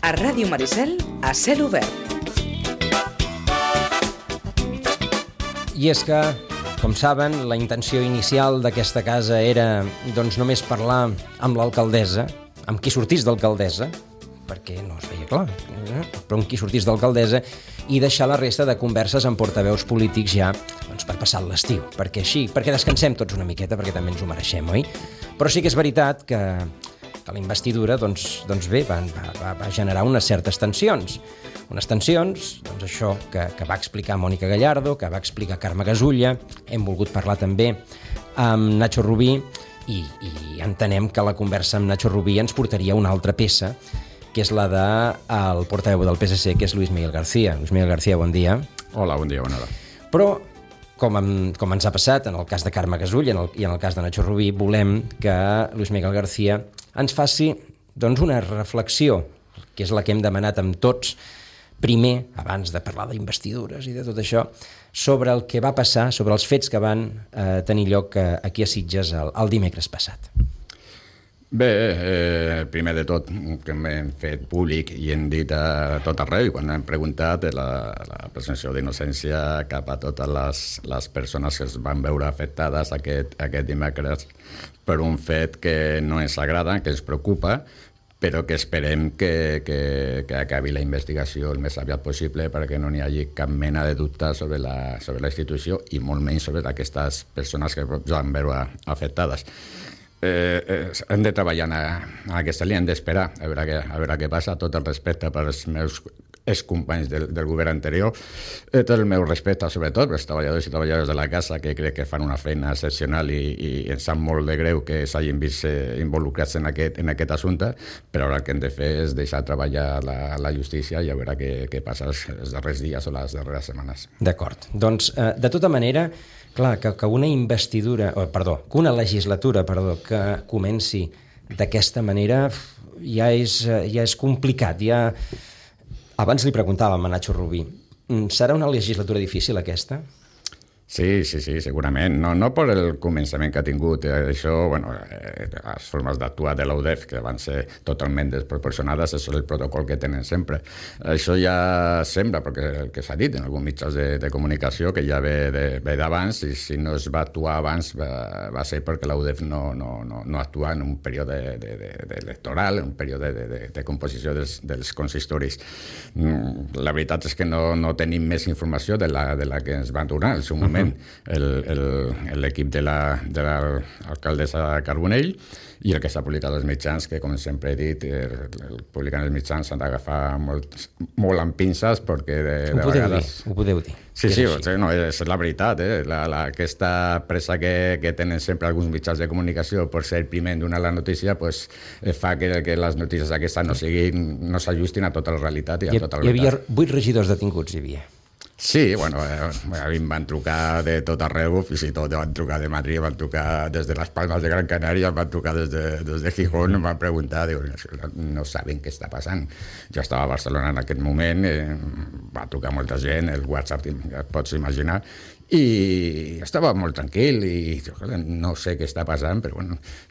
A Ràdio Maricel, a cel obert. I és que, com saben, la intenció inicial d'aquesta casa era doncs només parlar amb l'alcaldessa, amb qui sortís d'alcaldessa, perquè no es veia clar, però amb qui sortís d'alcaldessa, i deixar la resta de converses amb portaveus polítics ja doncs, per passar l'estiu, perquè descansem tots una miqueta, perquè també ens ho mereixem, oi? Però sí que és veritat que la investidura doncs bé, va generar unes certes tensions. Unes tensions, doncs això que va explicar Mònica Gallardo, que va explicar Carme Gasulla, hem volgut parlar també amb Nacho Rubí i entenem que la conversa amb Nacho Rubí ens portaria a una altra peça, que és la del portaveu del PSC, que és Luis Miguel García. Luis Miguel García, bon dia. Hola, bon dia, bona hora. Però, com ens ha passat en el cas de Carme Gasulla i en el cas de Nacho Rubí, volem que Luis Miguel García ens faci doncs, una reflexió, que és la que hem demanat amb tots, primer, abans de parlar d'investidures i de tot això, sobre el que va passar, sobre els fets que van tenir lloc aquí a Sitges el dimecres passat. Bé, primer de tot, que hem fet públic i hem dit a tot arreu, quan hem preguntat la presumpció d'innocència cap a totes les persones que es van veure afectades aquest dimecres per un fet que no ens agrada, que ens preocupa, però que esperem que acabi la investigació el més aviat possible perquè no n'hi hagi cap mena de dubte sobre la institució i molt menys sobre aquestes persones que es van veure afectades. Hem de treballar en aquesta línia, hem d'esperar a veure què passa. Tot el respecte per als meus excompanys del govern anterior, tot el meu respecte sobretot pels treballadors i treballadores de la casa, que crec que fan una feina excepcional i ens sap molt de greu que s'hagin vist involucrats en aquest assumpte, però ara el que hem de fer és deixar treballar la justícia i a veure què passa els darrers dies o les darreres setmanes. D'acord. Doncs, de tota manera, clar, que una legislatura que comenci d'aquesta manera ja és complicat. Abans li preguntàvem a Nacho Rubí, serà una legislatura difícil aquesta? Sí, segurament. No per el començament que ha tingut. Això, les formes d'actuar de l'UDEF, que van ser totalment desproporcionades, això és el protocol que tenen sempre. Això ja sembla, perquè el que s'ha dit en alguns mitjans de comunicació, que ja ve d'abans, i si no es va actuar abans va ser perquè l'UDEF no actua en un període electoral, en un període de composició dels consistoris. La veritat és que no tenim més informació de la que ens van donar en el seu moment l'equip de l'alcaldessa Carbonell i el que s'ha publicat als mitjans, que com sempre he dit, publicant els mitjans s'han d'agafar molt amb pinces perquè de vegades... Ho podeu dir. Sí, no, és la veritat. Aquesta pressa que tenen sempre alguns mitjans de comunicació per ser primer en donar la notícia fa que les notícies aquestes no s'ajustin a tota la realitat i a tota la veritat. Hi havia 8 regidors detinguts, hi havia. Sí, a mi em van trucar de tot arreu, fins i tot van trucar de Madrid, van trucar des de les Palmes de Gran Canària, van trucar des de Gijón, em van preguntar, no saben què està passant. Jo estava a Barcelona en aquest moment, va trucar molta gent, el WhatsApp, ja et pots imaginar, i estava molt tranquil i no sé què està passant, però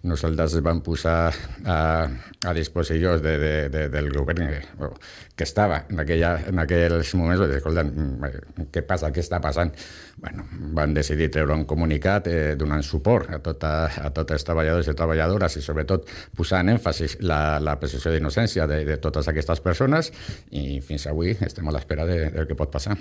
nosaltres vam posar a disposició del govern que estava en aquells moments, escolta, què passa, què està passant? Van decidir treure un comunicat donant suport a tots els treballadors i treballadores i sobretot posant èmfasis la presumpció d'innocència de totes aquestes persones i fins avui estem a l'espera del que pot passar.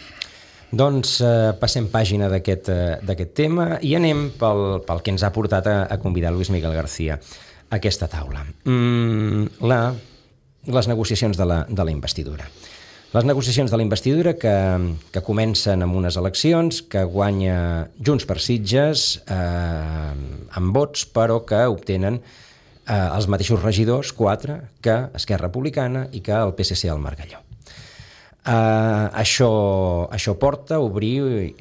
Doncs passem pàgina d'aquest tema i anem pel que ens ha portat a convidar Luis Miguel García a aquesta taula. Les negociacions de la investidura. Les negociacions de la investidura que comencen amb unes eleccions, que guanya Junts per Sitges amb vots, però que obtenen els mateixos regidors, 4, que Esquerra Republicana i que el PSC al Margalló. Això porta a obrir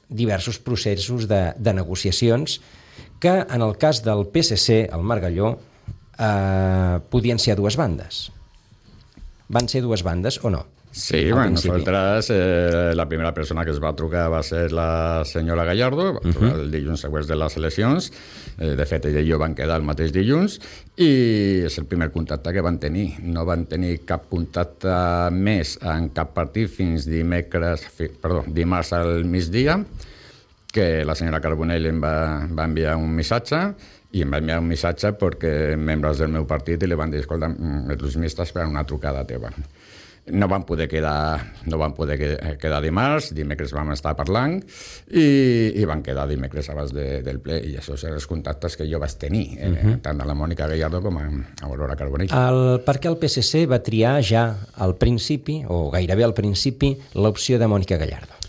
diversos processos de negociacions que en el cas del PSC al Margalló podien ser a dues bandes. Van ser dues bandes o no? Sí, bueno, nosaltres, la primera persona que es va trucar va ser la senyora Gallardo, va trucar el dilluns següents de les eleccions, de fet ella i jo van quedar el mateix dilluns, i és el primer contacte que van tenir. No van tenir cap contacte més en cap partit fins dimarts al migdia, que la senyora Carbonell em va enviar un missatge, i em va enviar un missatge perquè membres del meu partit li van dir, escolta, els mistes per una trucada teva. No van poder quedar dimarts, dimecres vam estar parlant i van quedar dimecres abans del ple, i això són els contactes que jo vaig tenir, tant a la Mònica Gallardo com a Aurora Carbonell. Per què el PSC va triar ja al principi, o gairebé al principi, l'opció de Mònica Gallardo?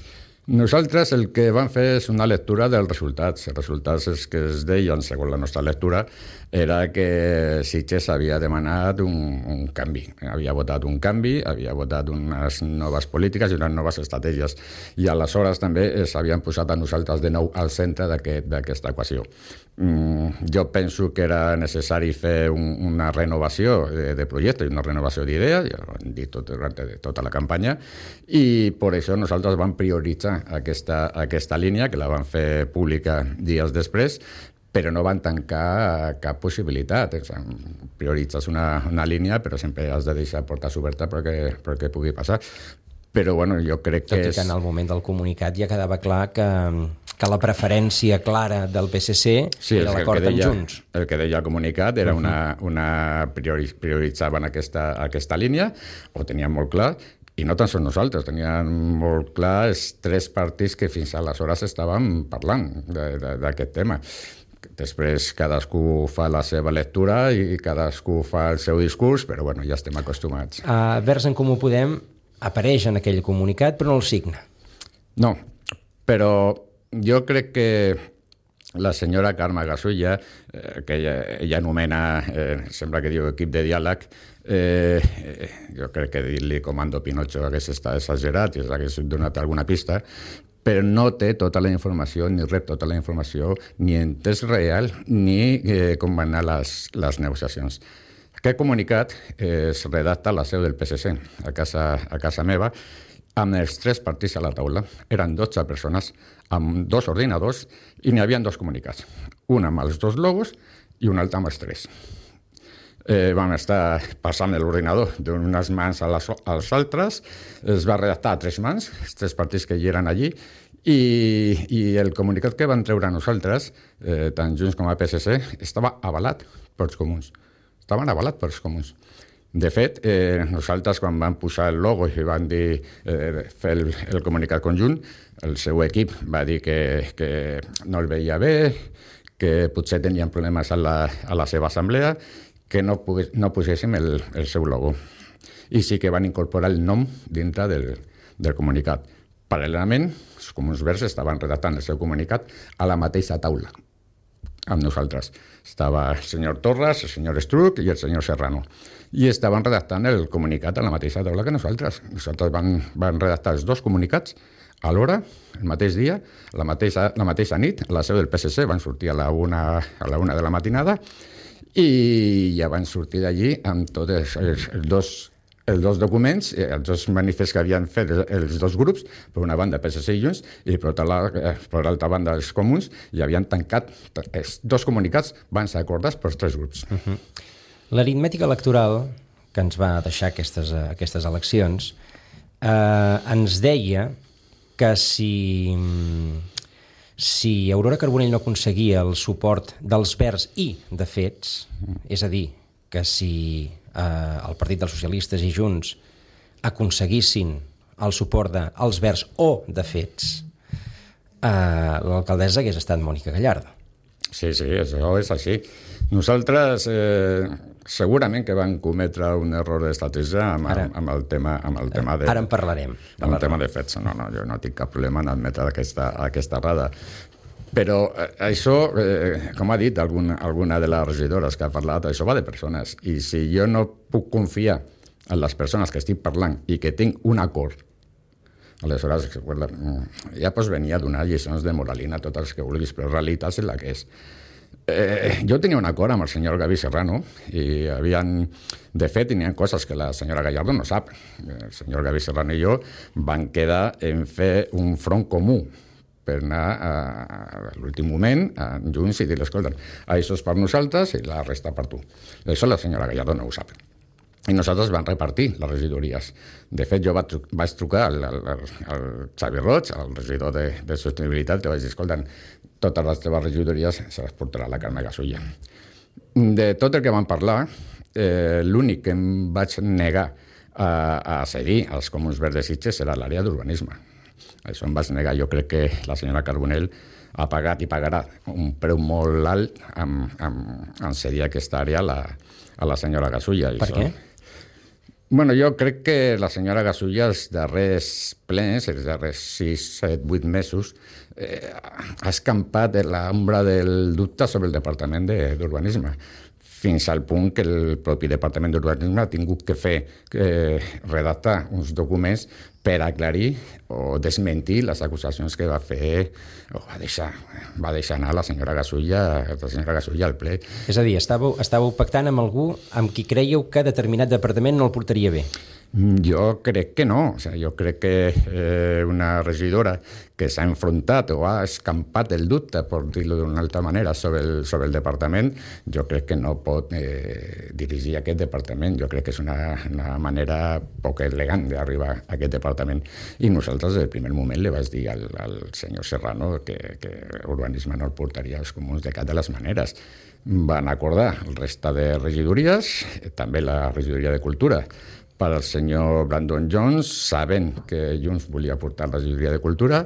Nosaltres el que vam fer és una lectura dels resultats. Els resultats és que es deien, segons la nostra lectura, era que Sitges havia demanat un canvi. Havia votat un canvi, havia votat unes noves polítiques i unes noves estratègies. I aleshores també s'havien posat a nosaltres de nou al centre d'aquesta equació. Jo penso que era necessari fer una renovació de projecte i una renovació d'idees, ja ho hem dit durant tota la campanya, i per això nosaltres vam prioritzar aquesta línia, que la vam fer pública dies després, però no van tancar cap possibilitat. Prioritzes una línia, però sempre has de deixar portes obertes perquè pugui passar. Però bueno, jo crec que en el moment del comunicat ja quedava clar que la preferència clara del PSC era l'acord amb Junts. El que deia el comunicat era prioritzaven aquesta línia, ho tenien molt clar, i no tan sols nosaltres, tenien molt clar els tres partits que fins aleshores estaven parlant d'aquest tema. Després cadascú fa la seva lectura i cadascú fa el seu discurs, però bueno, ja estem acostumats. Verds en Comú Podem apareix en aquell comunicat, però no el signa. No, però jo crec que la senyora Carme Gasulla, que ella anomena, sembla que diu equip de diàleg, jo crec que dir-li Comando Pinocho hagués estat exagerat i hagués donat alguna pista, però no té tota la informació, ni rep tota la informació, ni en temps real, ni com van anar les negociacions. Aquest comunicat es redacta a la seu del PSC, a casa meva, amb els tres partits a la taula. Eren 12 persones, amb 2 ordinadors, i n'hi havia 2 comunicats. Un amb els 2 logos i un altre amb els 3. Vam estar passant l'ordinador d'unes mans als altres, es va redactar a 3 mans, els 3 partits que hi eren allí, i el comunicat que van treure nosaltres, tant Junts com a PSC, estava avalat pels comuns. Estaven avalats pels comuns. De fet, nosaltres quan vam posar el logo i van dir fer el comunicat conjunt, el seu equip va dir que no el veia bé, que potser tenien problemes a la seva assemblea, que no poséssim el seu logo. I sí que van incorporar el nom dintre del comunicat. Paral·lelament, els comuns verds estaven redactant el seu comunicat a la mateixa taula amb nosaltres. Estava el senyor Torres, el senyor Estruc i el senyor Serrano. I estaven redactant el comunicat a la mateixa taula que nosaltres. Nosaltres van redactar els 2 comunicats a l'hora, el mateix dia, la mateixa nit, a la seu del PSC, van sortir a la una de la matinada i ja van sortir d'allí amb tots els dos documents, els 2 manifests que havien fet els 2 grups, per una banda PSC i Junts, i per l'altra banda els comuns, i havien tancat els 2 comunicats, van ser acordats pels 3 grups. L'aritmètica electoral que ens va deixar aquestes eleccions ens deia que si Aurora Carbonell no aconseguia el suport dels Verds i de Fets, és a dir, que si el Partit dels Socialistes i Junts aconseguissin el suport dels Verds o de Fets, l'alcaldessa hagués estat Mònica Gallardo. Sí, això és així. Nosaltres segurament que vam cometre un error d'estratègia amb el tema de... Ara en parlarem. Amb el tema de Fets. No, jo no tinc cap problema en admetre aquesta errada. Però això, com ha dit alguna de les regidores que ha parlat, això va de persones. I si jo no puc confiar en les persones que estic parlant i que tinc un acord, aleshores ja pots venir a donar lliçons de moralina a totes les que vulguis, però la realitat és la que és. Jo tenia un acord amb el senyor Gavi Serrano i de fet, tenien coses que la senyora Gallardo no sap. El senyor Gavi Serrano i jo van quedar en fer un front comú per anar a l'últim moment junts i dir, escolta, això és per nosaltres i la resta per tu. Això la senyora Gallardo no ho sap. I nosaltres vam repartir les regidories. De fet, jo vaig trucar al Xavi Roig, al regidor de Sostenibilitat, que vaig dir, escolta, totes les teves regidories se les portarà la Carme Gasulla. De tot el que vam parlar, l'únic que em vaig negar a cedir als Comuns Verds de Sitges era l'àrea d'urbanisme. Això em vaig negar. Jo crec que la senyora Carbonell ha pagat i pagarà un preu molt alt en cedir aquesta àrea a la senyora Gasulla. Per què? Bueno, jo crec que la senyora Gasulla els darrers plens, els darrers 6, 7, 8 mesos, ha escampat l'ombra del dubte sobre el Departament d'Urbanisme, fins al punt que el propi Departament d'Urbanisme ha tingut que redactar uns documents per aclarir o desmentir les acusacions que va fer o va deixar anar la senyora Gasulla al ple. És a dir, estàveu pactant amb algú amb qui creieu que determinat departament no el portaria bé? Jo crec que no. O sigui, jo crec que una regidora que s'ha enfrontat o ha escampat el dubte, per dir-ho d'una altra manera, sobre el departament, jo crec que no pot dirigir aquest departament. Jo crec que és una manera poc elegant d'arribar a aquest departament. I nosaltres, del primer moment, li vaig dir al senyor Serrano que urbanisme no el portaria als comuns de cap de les maneres. Van acordar el resta de regidories, també la regidoria de Cultura, per al senyor Brandon Jones, sabent que Junts volia portar la regidoria de Cultura,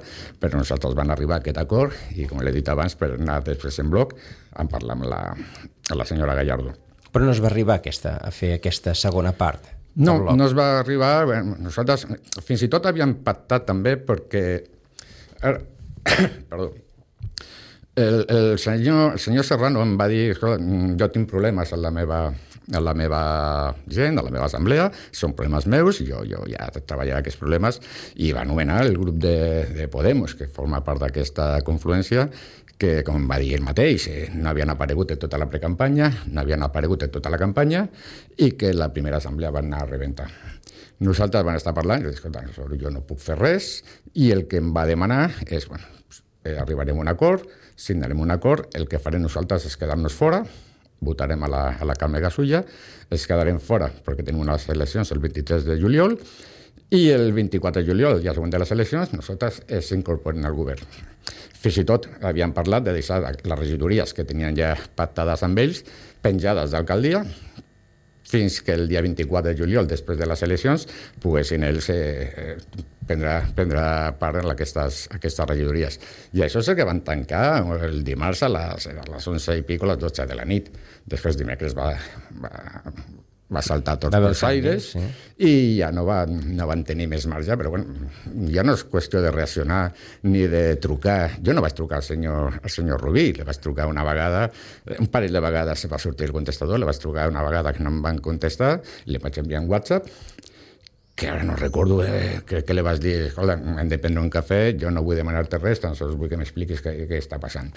però nosaltres van arribar a aquest acord i, com l'he dit abans, per anar després en bloc, en parlar amb la senyora Gallardo. Però no es va arribar a fer aquesta segona part? No es va arribar. Bueno, nosaltres fins i tot havíem pactat també perquè... Perdó. El senyor Serrano em va dir, jo tinc problemes en la meva gent, a la meva assemblea, són problemes meus, jo ja treballaré aquests problemes, i va anomenar el grup de Podemos, que forma part d'aquesta confluència, que, com va dir ell mateix, no havien aparegut en tota la precampanya, no havien aparegut en tota la campanya, i que la primera assemblea van anar a rebentar. Nosaltres vam estar parlant, jo no puc fer res, i el que em va demanar és, arribarem a un acord, signarem un acord, el que farem nosaltres és quedar-nos fora, votarem a la Carme Gasulla, es quedarem fora perquè tenim unes eleccions el 23 de juliol i el 24 de juliol, ja següent de les eleccions, nosaltres s'incorporem al govern. Fins i tot havíem parlat de deixar les regidories que tenien ja pactades amb ells penjades d'alcaldia fins que el dia 24 de juliol, després de les eleccions, poguessin ells prendre part en aquestes regidories. I això és el que van tancar el dimarts a les 11 i pico, a les 12 de la nit. Després dimecres va saltar tots els aires, sí. I ja no van tenir més marge, però bueno, ja no és qüestió de reaccionar ni de trucar. Jo no vaig trucar al senyor Rubí, li vaig trucar una vegada, un parell de vegades va sortir el contestador, li vaig trucar una vegada que no em van contestar, li vaig enviar un WhatsApp, que ara no recordo, crec que li vaig dir, escolta, hem de prendre un cafè, jo no vull demanar-te res, tan sols vull que m'expliquis què està passant.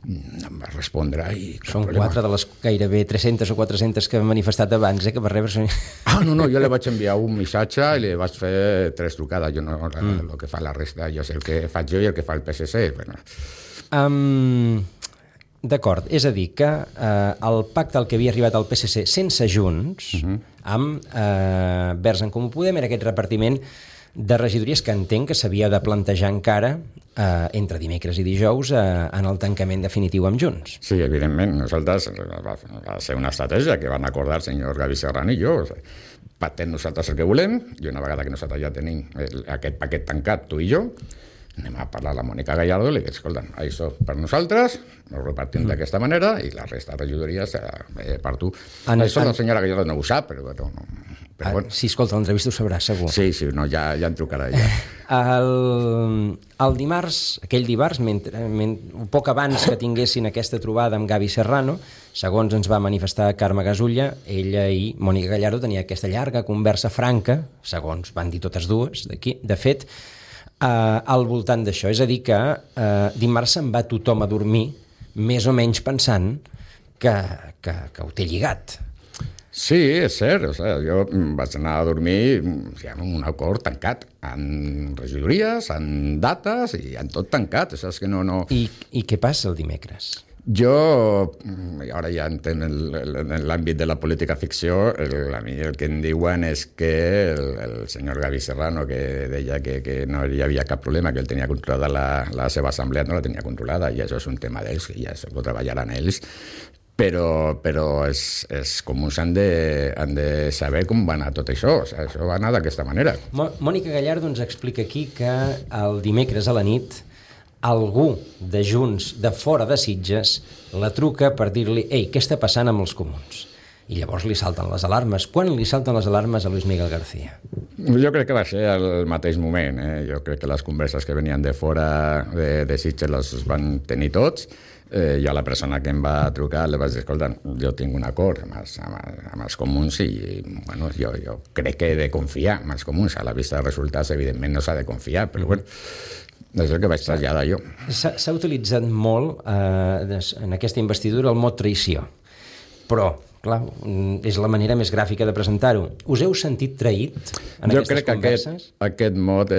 Em va respondre i... Són 4 de les gairebé 300 o 400 que hem manifestat abans, que per rebre... No, jo li vaig enviar un missatge i li vaig fer 3 trucades. Jo no, el que fa la resta, jo sé el que faig jo i el que fa el PSC. Bueno. D'acord, és a dir, que el pacte al que havia arribat al PSC sense Junts, amb Verds en Comú Podem, era aquest repartiment de regidories que entenc que s'havia de plantejar encara entre dimecres i dijous en el tancament definitiu amb Junts. Sí, evidentment. Nosaltres va ser una estratègia que van acordar el senyor Gavi Serrano i jo. Pactem nosaltres el que volem i una vegada que nosaltres ja tenim aquest paquet tancat, tu i jo, anem a parlar a la Mònica Gallardo i li dic, escolta, això per nosaltres, ho repartim d'aquesta manera i la resta de regidories per tu. Això la senyora Gallardo no ho sap, però bueno... Sí, escolta, l'entrevista ho sabrà, segur. Sí, no, ja en trucarà ella. El dimarts, aquell dimarts, poc abans que tinguessin aquesta trobada amb Gavi Serrano, segons ens va manifestar Carme Gasulla, ella i Mònica Gallardo tenia aquesta llarga conversa franca, segons van dir totes dues, de fet, al voltant d'això. És a dir que dimarts se'n va tothom a dormir més o menys pensant que ho té lligat. Sí, és cert. O sigui, jo vaig anar a dormir amb un acord tancat, en regidories, en dates i en tot tancat. O sigui, és que no... I què passa el dimecres? Jo, ara ja entenc en l'àmbit de la política ficció, a mi el que em diuen és que el senyor Gavi Serrano, que deia que no hi havia cap problema, que ell tenia controlada la seva assemblea, no la tenia controlada, i això és un tema d'ells, que ja ho treballaran ells, però els comuns han de saber com va anar tot això. O sigui, això va anar d'aquesta manera. Mònica Gallardo ens explica aquí que el dimecres a la nit algú de Junts, de fora de Sitges, la truca per dir-li «Ei, què està passant amb els comuns?» I llavors li salten les alarmes. Quan li salten les alarmes a Luis Miguel García? Jo crec que va ser al mateix moment. Jo crec que les converses que venien de fora de Sitges les van tenir tots. Jo a la persona que em va trucar li vaig dir, escolta, jo tinc un acord amb els comuns i bueno, jo crec que he de confiar en els comuns. A la vista dels resultats, evidentment, no s'ha de confiar, però bueno, és el que vaig traslladar jo. S'ha utilitzat molt en aquesta investidura el mot traïció, però clar, és la manera més gràfica de presentar-ho. Us heu sentit traït en aquestes converses? Jo crec que aquest mot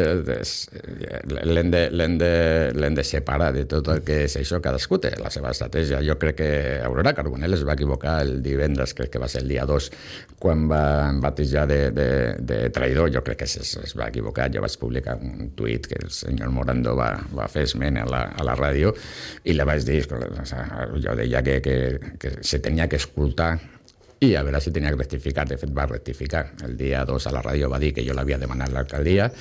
l'hem de separar de tot el que és això. Cadascú té la seva estratègia. Jo crec que Aurora Carbonell es va equivocar el divendres, crec que va ser el dia 2, quan va batejar de traïdor. Jo crec que es va equivocar. Jo vaig publicar un tuit que el senyor Morando va fer esment a la ràdio i li vaig dir, jo deia que se tenia que escoltar i a veure si tenia que rectificar. De fet, va rectificar. El dia 2 a la ràdio va dir que jo l'havia demanat l'alcaldia.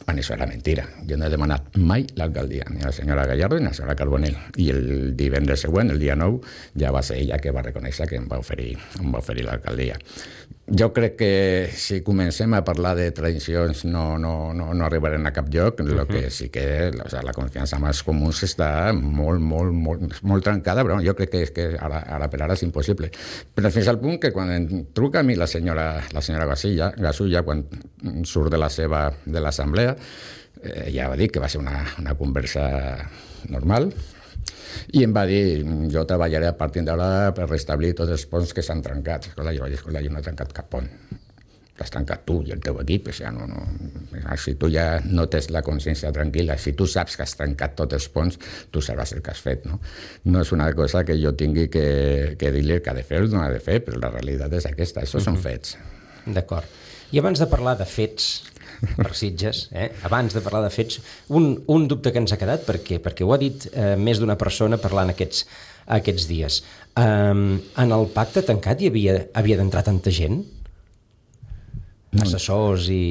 Bueno, això era mentira. Jo no he demanat mai l'alcaldia, ni a la senyora Gallardo ni a la senyora Carbonell. I el divendres següent, el dia 9, ja va ser ella que va reconèixer que em va oferir l'alcaldia. Jo crec que si comencem a parlar de traïcions no arribarem a cap lloc. El que sí que la confiança amb els comuns està molt trencada, però jo crec que ara per ara és impossible. Però fins al punt que quan em truca a mi la senyora Gasulla, quan surt de l'assemblea, ja va dir que va ser una conversa normal, i em va dir, jo treballaré a partir d'ara per restablir tots els ponts que s'han trencat. Jo vaig dir, jo no he trencat cap pont. L'has trencat tu i el teu equip. Si tu ja no tens la consciència tranquil·la, si tu saps que has trencat tots els ponts, tu sabràs el que has fet. No és una cosa que jo tingui que dir-li que ha de fer o no ha de fer, però la realitat és aquesta. Això són fets. D'acord. I abans de parlar de fets per Sitges, abans de parlar de fets, un dubte que ens ha quedat, perquè ho ha dit més d'una persona parlant aquests dies. En el pacte tancat hi havia d'entrar tanta gent? Assessors i...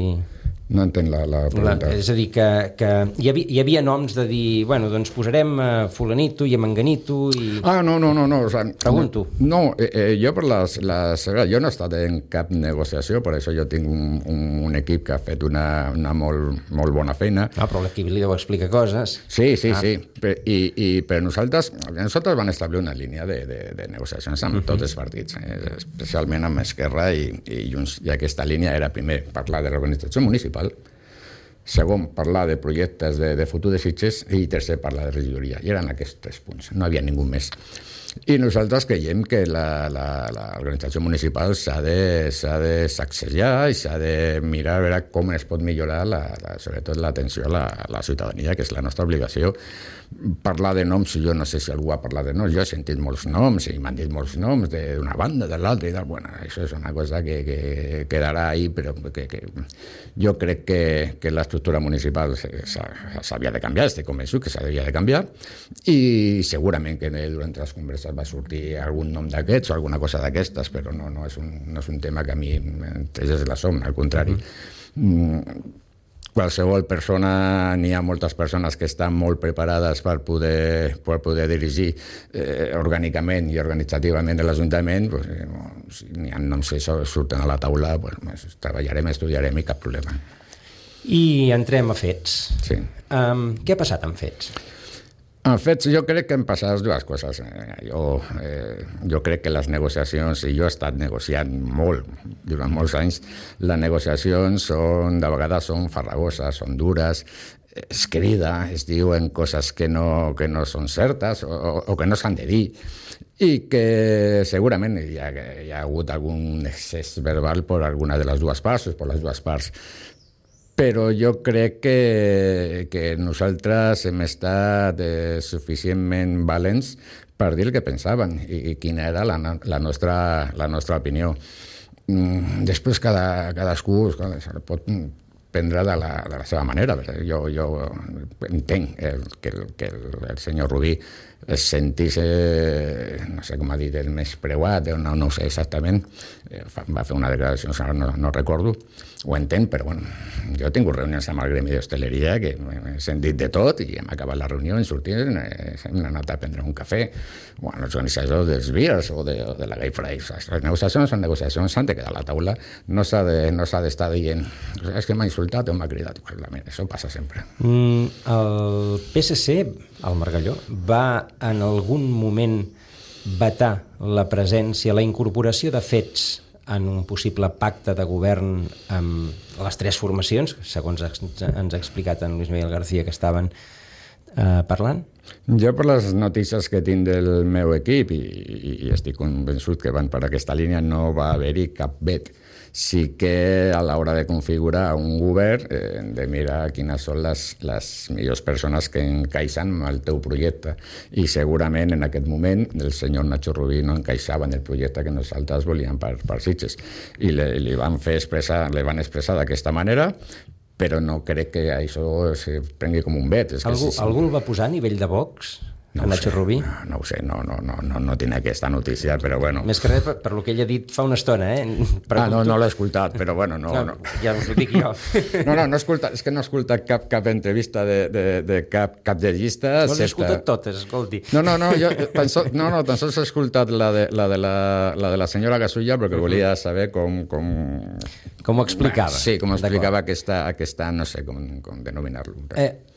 No entenc la pregunta. És a dir, que hi havia noms de dir, bueno, doncs posarem fulanito i manganito i... No. O sea, pregunto. No, jo per jo no he estat en cap negociació, per això jo tinc un equip que ha fet una molt bona feina. Però l'equip li deu explicar coses. Sí. I per nosaltres van establir una línia de negociacions amb tots els partits, especialment amb Esquerra i Junts. I aquesta línia era, primer, parlar de l'organització municipal, segon, parlar de projectes de futur de Sitges i tercer, parlar de regidoria. I eren aquests 3 punts, no hi havia ningú més. I nosaltres creiem que l'organització municipal s'ha de sacsejar i s'ha de mirar a veure com es pot millorar sobretot l'atenció a la ciutadania, que és la nostra obligació. Parlar de noms, jo no sé si algú ha parlat de noms, jo he sentit molts noms i m'han dit molts noms d'una banda, de l'altra i tal. Bueno, això és una cosa que quedarà ahí, però que jo crec que l'estructura municipal s'havia de canviar, estic convençut que s'havia de canviar, i segurament que durant les converses va sortir algun nom d'aquests o alguna cosa d'aquestes, però no és un tema que a mi m'entrés la som, al contrari. Qualsevol persona, n'hi ha moltes persones que estan molt preparades per poder dirigir orgànicament i organitzativament l'Ajuntament. Si n'hi ha noms que surten a la taula, treballarem, estudiarem i cap problema. I entrem a fets. Sí. Què ha passat amb fets? En fet, jo crec que han passat dues coses. Jo crec que les negociacions, i jo he estat negociant molt durant molts anys, les negociacions de vegades són farragoses, són dures, es crida, es diuen coses que no són certes o que no s'han de dir, i que segurament hi ha hagut algun excés verbal per alguna de les dues parts, per les dues parts. Però jo crec que nosaltres hem estat suficientment valents per dir el que pensaven i quina era la nostra opinió. Després cadascú pot prendre de la seva manera. Jo entenc que el senyor Rubí es sentís, no sé com ha dit, el més preuat, no ho sé exactament, va fer una declaració, no recordo, ho entenc, però bueno, jo he tingut reunions amb el gremi d'hostaleria que he sentit de tot i hem acabat la reunió, hem sortit, hem anat a prendre un cafè, bueno, els organitzadors dels beers o de la Gay Fries. Les negociacions són negociacions, s'han de quedar a la taula, no s'ha d'estar dient és que m'ha insultat o m'ha cridat. Això passa sempre. El PSC, el Margalló, va en algun moment vetar la presència, la incorporació de fets en un possible pacte de govern amb les tres formacions, segons ens ha explicat en Luis Miguel García, que estaven parlant? Jo, per les notícies que tinc del meu equip, i estic convençut que van per aquesta línia, no va haver-hi cap vet. Sí que a l'hora de configurar un govern hem de mirar quines són les millors persones que encaixen amb el teu projecte, i segurament en aquest moment el senyor Nacho Rubí no encaixava en el projecte que nosaltres volíem per Sitges, i li van expressar d'aquesta manera, però no crec que això es prengui com un vet. Algú el va posar a nivell de Vox? No Nacho Rubí? No ho sé, no tinc aquesta notícia, però bueno. Més que res per lo que ell ha dit fa una estona, no l'he escoltat, però bueno, no. Ja us ho dic jo. No he escoltat, és que no he escoltat cap entrevista de cap de llista. No les he escoltat totes, escolti. Jo tan sols he escoltat la de la senyora Gasulla, perquè volia saber com ho explicava. Sí, com explicava aquesta, no sé com denominar-lo.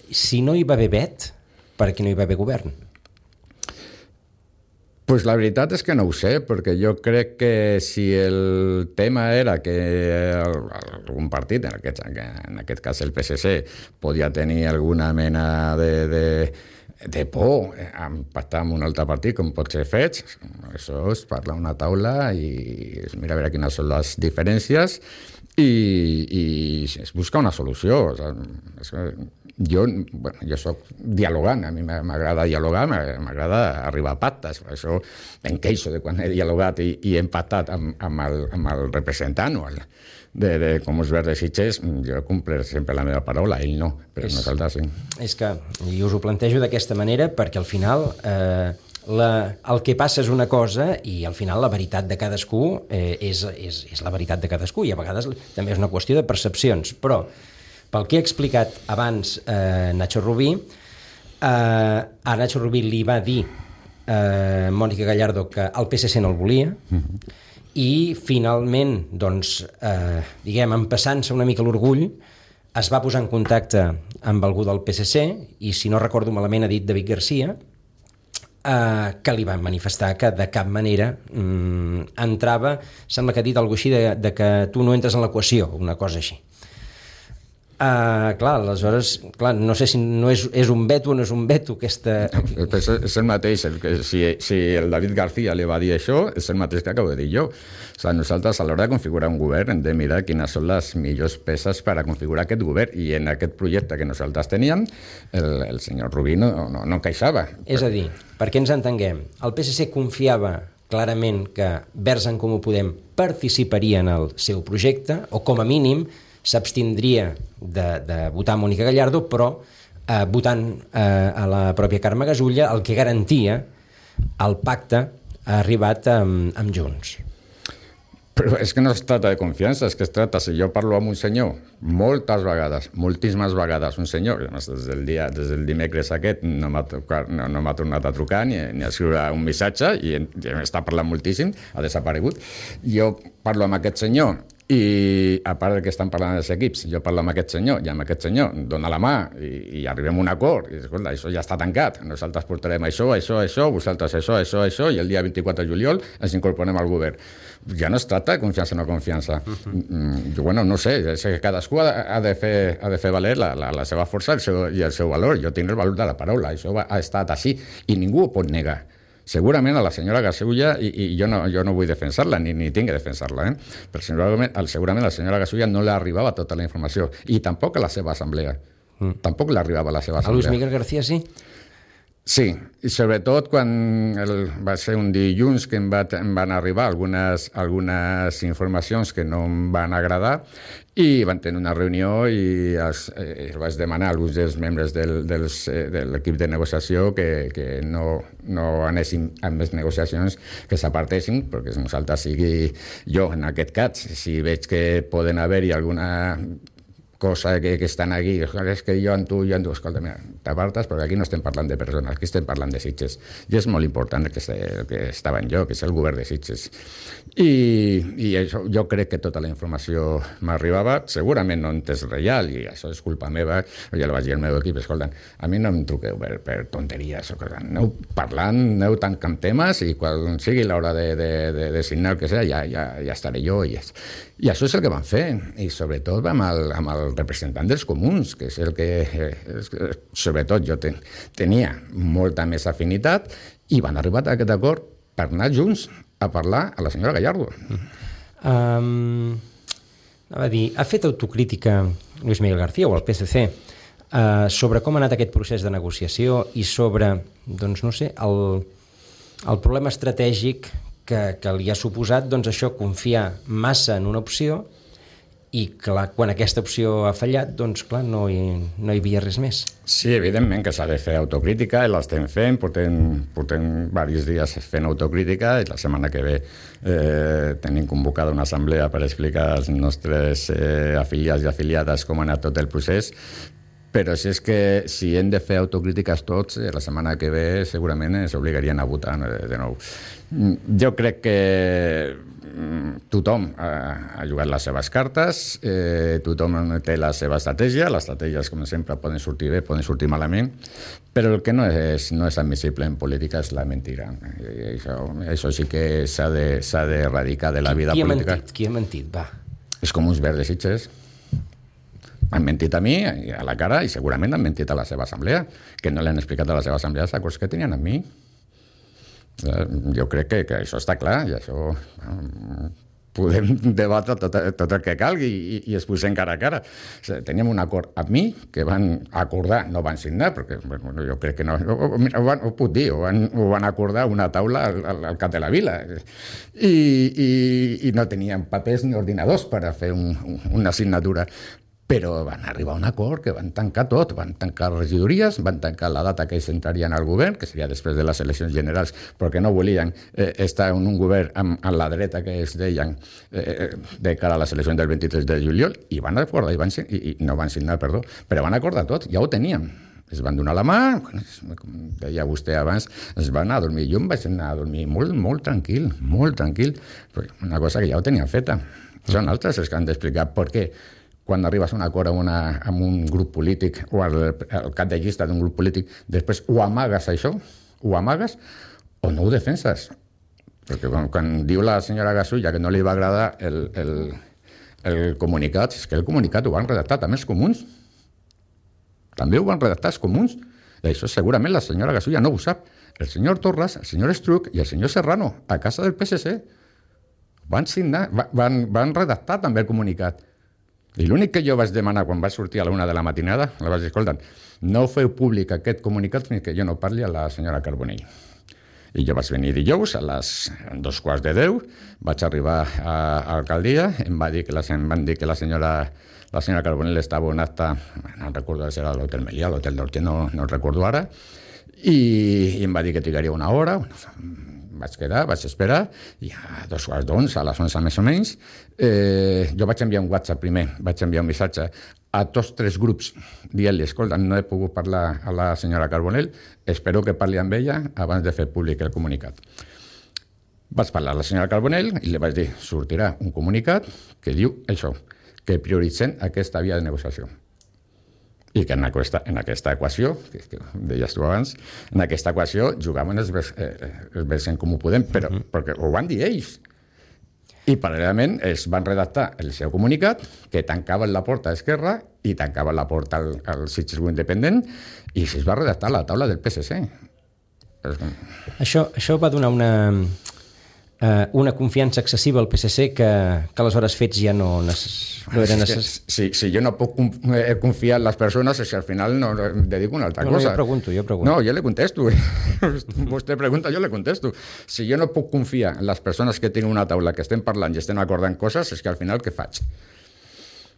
Si no hi va haver vet, per què no hi va haver govern? Pues la veritat és que no ho sé, perquè jo crec que si el tema era que algun partit, en aquest cas el PSC, podia tenir alguna mena de por en pactar amb un altre partit com pot ser Fets, això es parla a una taula i es mira a veure quines són les diferències i es busca una solució. Jo soc dialogant, a mi m'agrada dialogar, m'agrada arribar a pactes, per això em queixo de quan he dialogat i he pactat amb el representant de Comuns Verds de Sitges. Jo compliré sempre la meva paraula, ell no, però nosaltres sí. És que jo us ho plantejo d'aquesta manera perquè al final el que passa és una cosa i al final la veritat de cadascú és la veritat de cadascú, i a vegades també és una qüestió de percepcions, però pel que he explicat abans Nacho Rubí, a Nacho Rubí li va dir Mònica Gallardo que el PSC no el volia, i finalment, doncs, empassant-se una mica l'orgull, es va posar en contacte amb algú del PSC, i si no recordo malament ha dit David García, que li van manifestar que de cap manera entrava, sembla que ha dit alguna cosa així de que tu no entres en l'equació, una cosa així. Aleshores, no sé si no és un veto o no és un veto aquesta... És el mateix, si el David García li va dir això, és el mateix que acabo de dir jo. Nosaltres a l'hora de configurar un govern hem de mirar quines són les millors peces per a configurar aquest govern, i en aquest projecte que nosaltres teníem el senyor Rubí no encaixava. És a dir, perquè ens entenguem, el PSC confiava clarament que Verds en Comú Podem participaria en el seu projecte, o com a mínim s'abstindria de votar Mònica Gallardo, però votant a la pròpia Carme Gasulla, el que garantia el pacte ha arribat amb Junts. Però és que no es tracta de confiança, és que es tracta, si jo parlo amb un senyor moltes vegades, moltíssimes vegades, un senyor, des del dimecres aquest no m'ha tornat a trucar ni a escriure un missatge, i està parlant moltíssim, ha desaparegut. Jo parlo amb aquest senyor I a part que estan parlant dels equips, jo parlo amb aquest senyor i amb aquest senyor, dona la mà i arribem a un acord, i escolta, això ja està tancat, nosaltres portarem això, vosaltres això, i el dia 24 de juliol ens incorporem al govern. Ja no es tracta de confiança o no confiança. Bueno, no sé, cadascú ha de fer valer la seva força i el seu valor. Jo tinc el valor de la paraula, això ha estat així, i ningú ho pot negar. Segurament a la senyora Gasulla, i jo no vull defensar-la, ni tinc que defensar-la, però segurament a la senyora Gasulla no li arribava tota la informació, i tampoc a la seva assemblea. Tampoc li arribava a la seva assemblea. A Luis Miguel García sí? Sí, i sobretot quan va ser un dilluns que em van arribar algunes informacions que no em van agradar, i van tenir una reunió i vaig demanar a alguns dels membres de l'equip de negociació que no anessin amb les negociacions, que s'apartessin, perquè nosaltres sigui jo, en aquest cas, si veig que poden haver-hi alguna cosa que estan aquí, és que jo amb tu, escolta, mira, t'apartes, perquè aquí no estem parlant de persones, aquí estem parlant de Sitges. I és molt important que estava en jo, que és el govern de Sitges. I això, jo crec que tota la informació m'arribava, segurament no és real, i això és culpa meva, jo li vaig dir al meu equip, escolta, a mi no em truqueu per tonteries, aneu parlant, aneu tancant temes, i quan sigui l'hora de signar el que sea, ja estaré jo, i això és el que van fer, i sobretot amb el representant dels comuns, que és el que, sobretot, jo tenia molta més afinitat, i van arribar a aquest acord per anar junts a parlar a la senyora Gallardo. Ha fet autocrítica Luis Miguel García o el PSC sobre com ha anat aquest procés de negociació i sobre, doncs no sé, el problema estratègic que li ha suposat, doncs això, confiar massa en una opció, i clar, quan aquesta opció ha fallat, doncs clar, no hi havia res més. Sí, evidentment que s'ha de fer autocrítica, i l'estem fent, portem diversos dies fent autocrítica, i la setmana que ve tenim convocada una assemblea per explicar als nostres afiliats i afiliades com ha anat tot el procés, però si hem de fer autocrítiques tots, la setmana que ve segurament ens obligarien a votar de nou. Jo crec que tothom ha jugat les seves cartes, tothom té la seva estratègia, les estratègies, com sempre, poden sortir bé, poden sortir malament, però el que no és admissible en política és la mentira. Això sí que s'ha d'erradicar de la vida política. Qui ha mentit? Va. És com uns verds de Sitges. Han mentit a mi, a la cara, i segurament han mentit a la seva assemblea, que no l'han explicat a la seva assemblea els acords que tenien amb mi. Jo crec que això està clar, i això podem debatre tot el que calgui i es posem cara a cara. Teníem un acord amb mi que van acordar, no van signar, perquè jo crec que no, ho puc dir, ho van acordar una taula al cap de la vila, i no tenien papers ni ordinadors per a fer una signatura. Però van arribar a un acord que van tancar tot, van tancar regidories, van tancar la data que ells entrarien al govern, que seria després de les eleccions generals, perquè no volien estar en un govern amb la dreta que ells deien de cara a les eleccions del 23 de juliol, i van acordar, no van signar, perdó, però van acordar tot, ja ho teníem. Es van donar la mà, com deia vostè abans, es van anar a dormir. Jo em vaig anar a dormir molt tranquil, una cosa que ja ho tenia feta. Són altres els que han d'explicar per què quan arribes a un acord amb un grup polític o al cap de llista d'un grup polític, després ho amagues això, o no ho defenses. Perquè quan diu la senyora Gasulla que no li va agradar el comunicat, és que el comunicat ho van redactar també els comuns. També ho van redactar els comuns. I això segurament la senyora Gasulla no ho sap. El senyor Torras, el senyor Estruch i el senyor Serrano, a casa del PSC, van signar, van redactar també el comunicat. I l'únic que jo vaig demanar quan vaig sortir a la 1 de la matinada, la vaig dir, escolta, no feu públic aquest comunicat fins que jo no parli a la senyora Carbonell. I jo vaig venir dijous a les 9:45, vaig arribar a l'alcaldia, em van dir que la senyora Carbonell estava en acte, no recordo si era a l'Hotel Melià, l'Hotel d'Horter, no recordo ara, i em va dir que trigaria una hora. Vaig quedar, vaig esperar, i a 11:15, a les 11 més o menys, jo vaig enviar un WhatsApp primer, vaig enviar un missatge a tots 3 grups, dient-li, escolta, no he pogut parlar a la senyora Carbonell, espero que parli amb ella abans de fer públic el comunicat. Vaig parlar a la senyora Carbonell i li vaig dir, sortirà un comunicat que diu això, que prioritzen aquesta via de negociació. I que en aquesta equació, que deies tu abans, en aquesta equació jugaven els vers en Comú Podem, però perquè ho van dir ells. I paral·lelament es van redactar el seu comunicat que tancaven la porta a Esquerra i tancaven la porta al Sitges Independent i es va redactar la taula del PSC. Això va donar una confiança excessiva al PSC que aleshores fets ja no era necessari. Si jo no puc confiar en les persones, és que al final no em dedico a una altra cosa. Jo pregunto. No, jo le contesto. Vostè pregunta, jo le contesto. Si jo no puc confiar en les persones que tenen una taula, que estem parlant i estem acordant coses, és que al final què faig?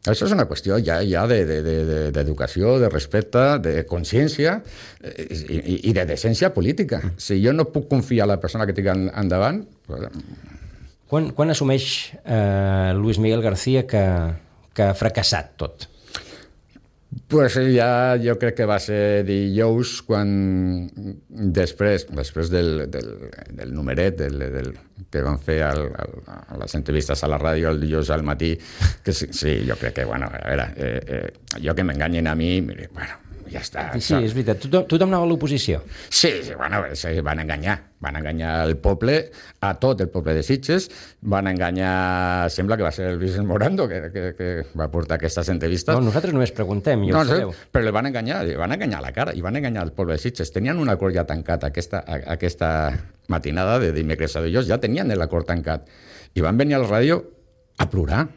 Això és una qüestió ja d'educació, de respecte, de consciència i de decència política. Si jo no puc confiar en la persona que tinc endavant... Quan assumeix Luis Miguel García que ha fracassat tot? Pues ja jo crec que va ser dijous quan després del numeret que van fer a les entrevistes a la ràdio el dijous al matí, que sí, jo crec que, bueno, a veure, jo que m'enganyin a mi, mire, bueno, ja està. Sí, és veritat. Tothom anava a l'oposició. Sí, bueno, van enganyar el poble, a tot el poble de Sitges, van enganyar, sembla que va ser el Vicent Morando que va portar aquestes entrevistes. No, nosaltres només preguntem, i ho sabeu. Però li van enganyar a la cara, i van enganyar el poble de Sitges. Tenien un acord ja tancat aquesta matinada de dimecres a dijous, ja tenien l'acord tancat, i van venir a la ràdio a plorar,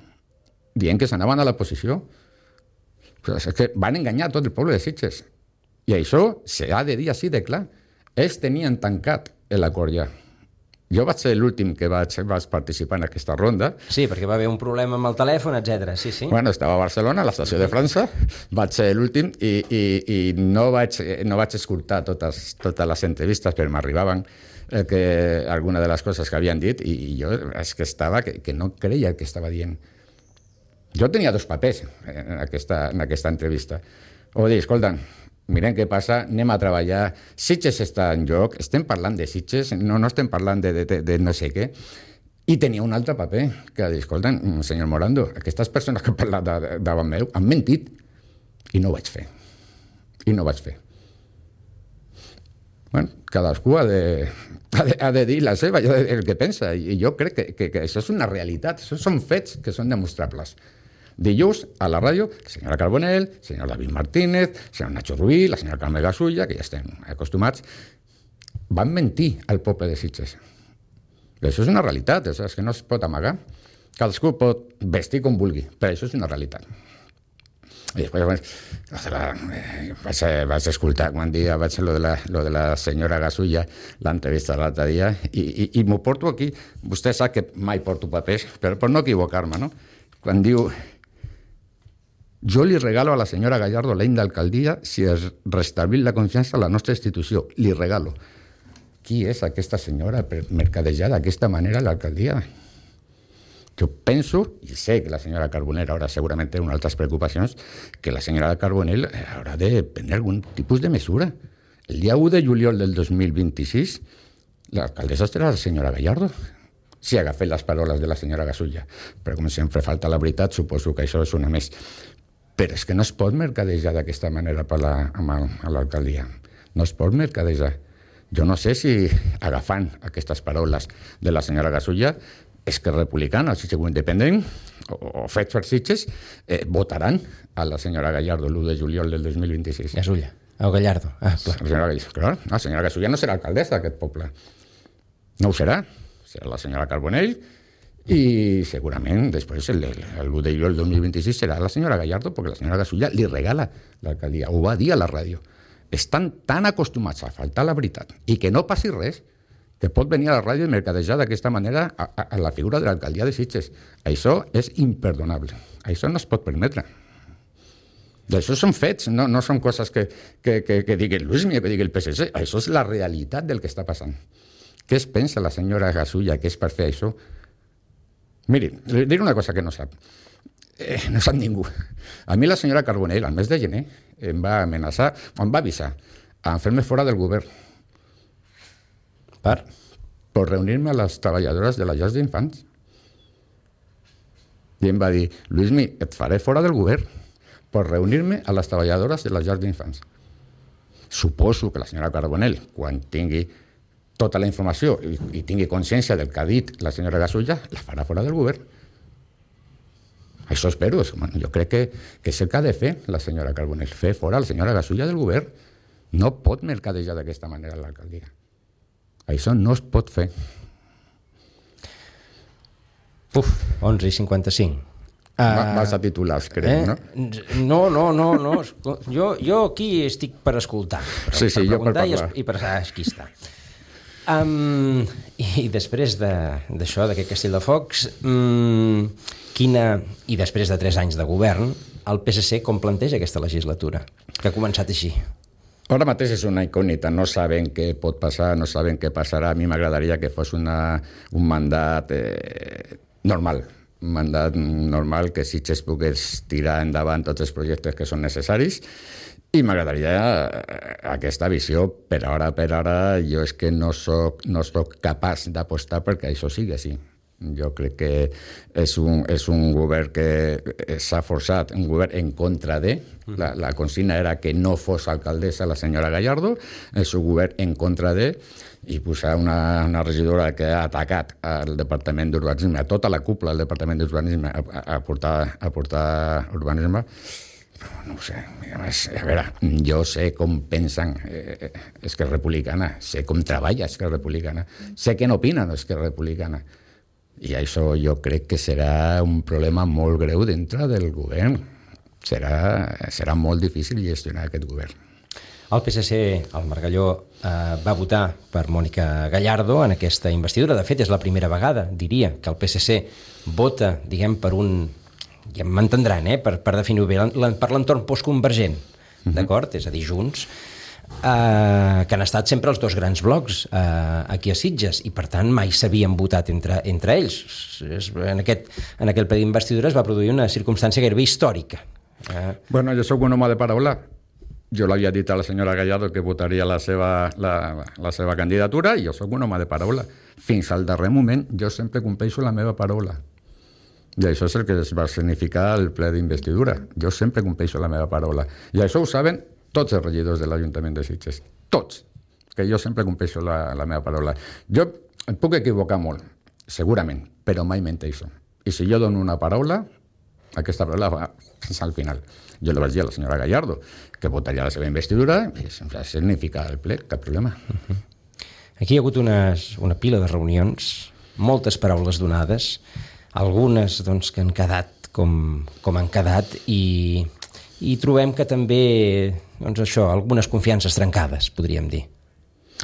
dient que s'anaven a l'oposició. És que van enganyar tot el poble de Sitges. I això s'ha de dir així de clar. Ells tenien tancat l'acord ja. Jo vaig ser l'últim que vaig participar en aquesta ronda. Sí, perquè va haver un problema amb el telèfon, etc. Sí. Bueno, estava a Barcelona, a l'estació de França, vaig ser l'últim i no vaig escoltar totes les entrevistes, però m'arribaven alguna de les coses que havien dit i jo és que estava que no creia el que estava dient. Jo tenia 2 papers en aquesta entrevista. O dir, escolta, mirem què passa, anem a treballar, Sitges està en joc, estem parlant de Sitges, no estem parlant de no sé què. I tenia un altre paper, que dir, escolta, senyor Morando, aquestes persones que han parlat davant meu han mentit. I no ho vaig fer. Bueno, cadascú ha de dir la seva, el que pensa, i jo crec que això és una realitat, això són fets que són demostrables. Dijous, a la ràdio, la senyora Carbonell, el senyor David Martínez, el senyor Nacho Rubí, la senyora Carme Gasulla, que ja estem acostumats, van mentir al poble de Sitges. Això és una realitat, és que no es pot amagar. Cadascú pot vestir com vulgui, però això és una realitat. I després vaig escoltar quan vaig fer lo de la senyora Gasulla, l'entrevista de l'altre dia, i m'ho porto aquí. Vostè sap que mai porto papers, però per no equivocar-me, no? Quan diu: jo li regalo a la senyora Gallardo l'any d'alcaldia si es restableix la confiança en la nostra institució. Li regalo. Qui és aquesta senyora per mercadejar d'aquesta manera l'alcaldia? Jo penso, i sé que la senyora Carbonell ara segurament té unes altres preocupacions, que la senyora Carbonell haurà de prendre algun tipus de mesura. El dia 1 de juliol del 2026, l'alcaldessa serà la senyora Gallardo. Si agafem les paraules de la senyora Gasulla. Però com sempre falta la veritat, suposo que això és una més. Però és que no es pot mercadejar d'aquesta manera amb l'alcaldia. No es pot mercadejar. Jo no sé si agafant aquestes paraules de la senyora Gasulla, Esquerra Republicana, el Sitges Independent, o Fets per Sitges, votaran a la senyora Gallardo l'1 de juliol del 2026. Gasulla, o Gallardo. La senyora Gasulla no serà alcaldessa d'aquest poble. No ho serà. Serà la senyora Carbonell i segurament després el 1 de juliol del 2026 serà la senyora Gallardo, perquè la senyora Gasulla li regala l'alcaldia, ho va dir a la ràdio. Estan tan acostumats a faltar la veritat i que no passi res que pot venir a la ràdio i mercadejar d'aquesta manera a la figura de l'alcaldia de Sitges. Això és imperdonable. Això no es pot permetre. Això són fets, no són coses que digui Luis Miguel, que digui el PSC. Això és la realitat del que està passant. Què es pensa la senyora Gasulla que és per fer això? Miri, li diré una cosa que no sap. No sap ningú. A mi la senyora Carbonell, al mes de gener, em va amenaçar, em va avisar a fer-me fora del govern. Per? per reunir-me a les treballadores de les llars d'infants. I em va dir, Luismi, et faré fora del govern per reunir-me a les treballadores de les llars d'infants. Suposo que la senyora Carbonell, quan tingui tota la informació i tingui consciència del que ha dit la senyora Gasulla, la farà fora del govern. Això espero. Jo crec que és el que ha de fer la senyora Carbonell, fer fora la senyora Gasulla del govern. No pot mercadejar d'aquesta manera l'alcaldia. Això no es pot fer. 11:55. Vas a titulars, crec, no? No. Jo aquí estic per escoltar. Per jo per parlar. I per aquí està. I després d'això, d'aquest Castell de Focs, i després de 3 anys de govern, el PSC com planteja aquesta legislatura, que ha començat així? Ara mateix és una incògnita, no saben què pot passar, no saben què passarà. A mi m'agradaria que fos un mandat normal, un mandat normal que Sitges pogués tirar endavant tots els projectes que són necessaris, i m'agradaria aquesta visió. Per ara jo és que no soc capaç d'apostar perquè això sigui així. Jo crec que és un govern que s'ha forçat, un govern en contra de. La consigna era que no fos alcaldessa la senyora Gallardo, és un govern en contra de, i posar una regidora que ha atacat al Departament d'Urbanisme, a tota la cúpula del Departament d'Urbanisme, a portar urbanisme. No ho sé, a veure, jo sé com pensen Esquerra Republicana, sé com treballa Esquerra Republicana, sé què n'opinen Esquerra Republicana, i això jo crec que serà un problema molt greu dintre del govern. Serà molt difícil gestionar aquest govern. El PSC, el Margalló, va votar per Mònica Gallardo en aquesta investidura. De fet, és la primera vegada, diria, que el PSC vota, diguem, per un... ja m'entendran, per definir-ho bé, per l'entorn postconvergent, d'acord? És a dir, Junts, que han estat sempre els 2 grans blocs aquí a Sitges, i per tant mai s'havien votat entre ells. En aquell ple d'investidura es va produir una circumstància gairebé històrica. Bueno, jo sóc un home de paraula. Jo l'havia dit a la senyora Gallardo que votaria la seva candidatura, i jo sóc un home de paraula. Fins al darrer moment jo sempre compleixo la meva paraula. I això és el que es va significar el ple d'investidura. Jo sempre compleixo la meva paraula. I això ho saben tots els regidors de l'Ajuntament de Sitges. Tots. Que jo sempre compleixo la meva paraula. Jo em puc equivocar molt, segurament, però mai menteixo. I si jo dono una paraula, aquesta paraula va fins al final. Jo li vaig dir a la senyora Gallardo que votaria la seva investidura, i sempre significa el ple, cap problema. Aquí hi ha hagut una pila de reunions, moltes paraules donades, algunes doncs, que han quedat com han quedat, i trobem que també, doncs això, algunes confiances trencades, podríem dir.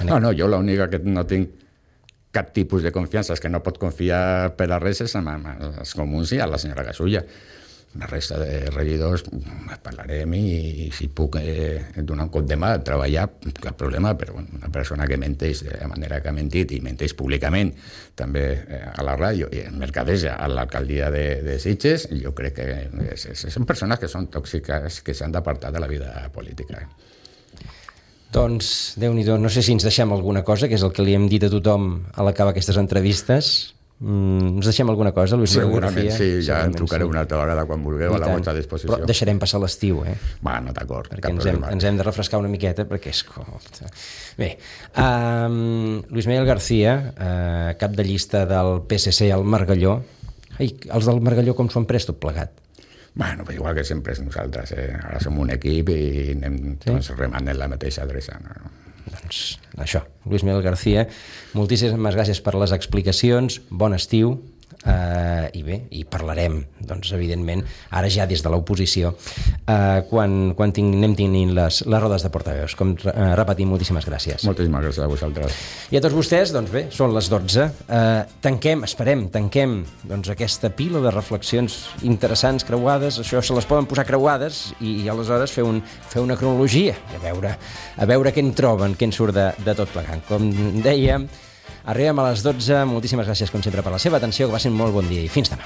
No, jo l'única que no tinc cap tipus de confiança és que no pot confiar per a res és amb els comuns i a la senyora Gasulla. La resta de regidors parlarem, i si puc donar un cop de mà, treballar, cap problema, però una persona que menteix de la manera que ha mentit, i menteix públicament també a la ràdio i mercadeja a l'alcaldia de Sitges, jo crec que són persones que són tòxiques, que s'han d'apartar de la vida política. Doncs, Déu-n'hi-do, no sé si ens deixem alguna cosa, que és el que li hem dit a tothom a l'acabar aquestes entrevistes. Ens deixem alguna cosa, Luis Miguel García? Sí, ja en trucaré una altra vegada quan vulgueu, a la vostra disposició. Però deixarem passar l'estiu, Bueno, d'acord, perquè ens hem de refrescar una miqueta, perquè és com... Bé, Luis Miguel García, cap de llista del PSC al Margalló. Ai, els del Margalló com s'ho han pres tot plegat? Bueno, igual que sempre és nosaltres, Ara som un equip i anem tots remant en la mateixa adreça, Doncs això, Luis Miguel García, moltíssimes gràcies per les explicacions, bon estiu, i bé, i parlarem, doncs, evidentment, ara ja des de l'oposició, quan anem tenint les rodes de portaveus. Com repetim, moltíssimes gràcies. Moltíssimes gràcies a vosaltres. I a tots vostès, doncs bé, són les 12. Tanquem doncs, aquesta pila de reflexions interessants, creuades, això se les poden posar creuades, i aleshores fer una cronologia, i a veure què en troben, què en surt de tot plegant. Com dèiem, arribem a les 12. Moltíssimes gràcies, com sempre, per la seva atenció, que va ser un molt bon dia, i fins demà.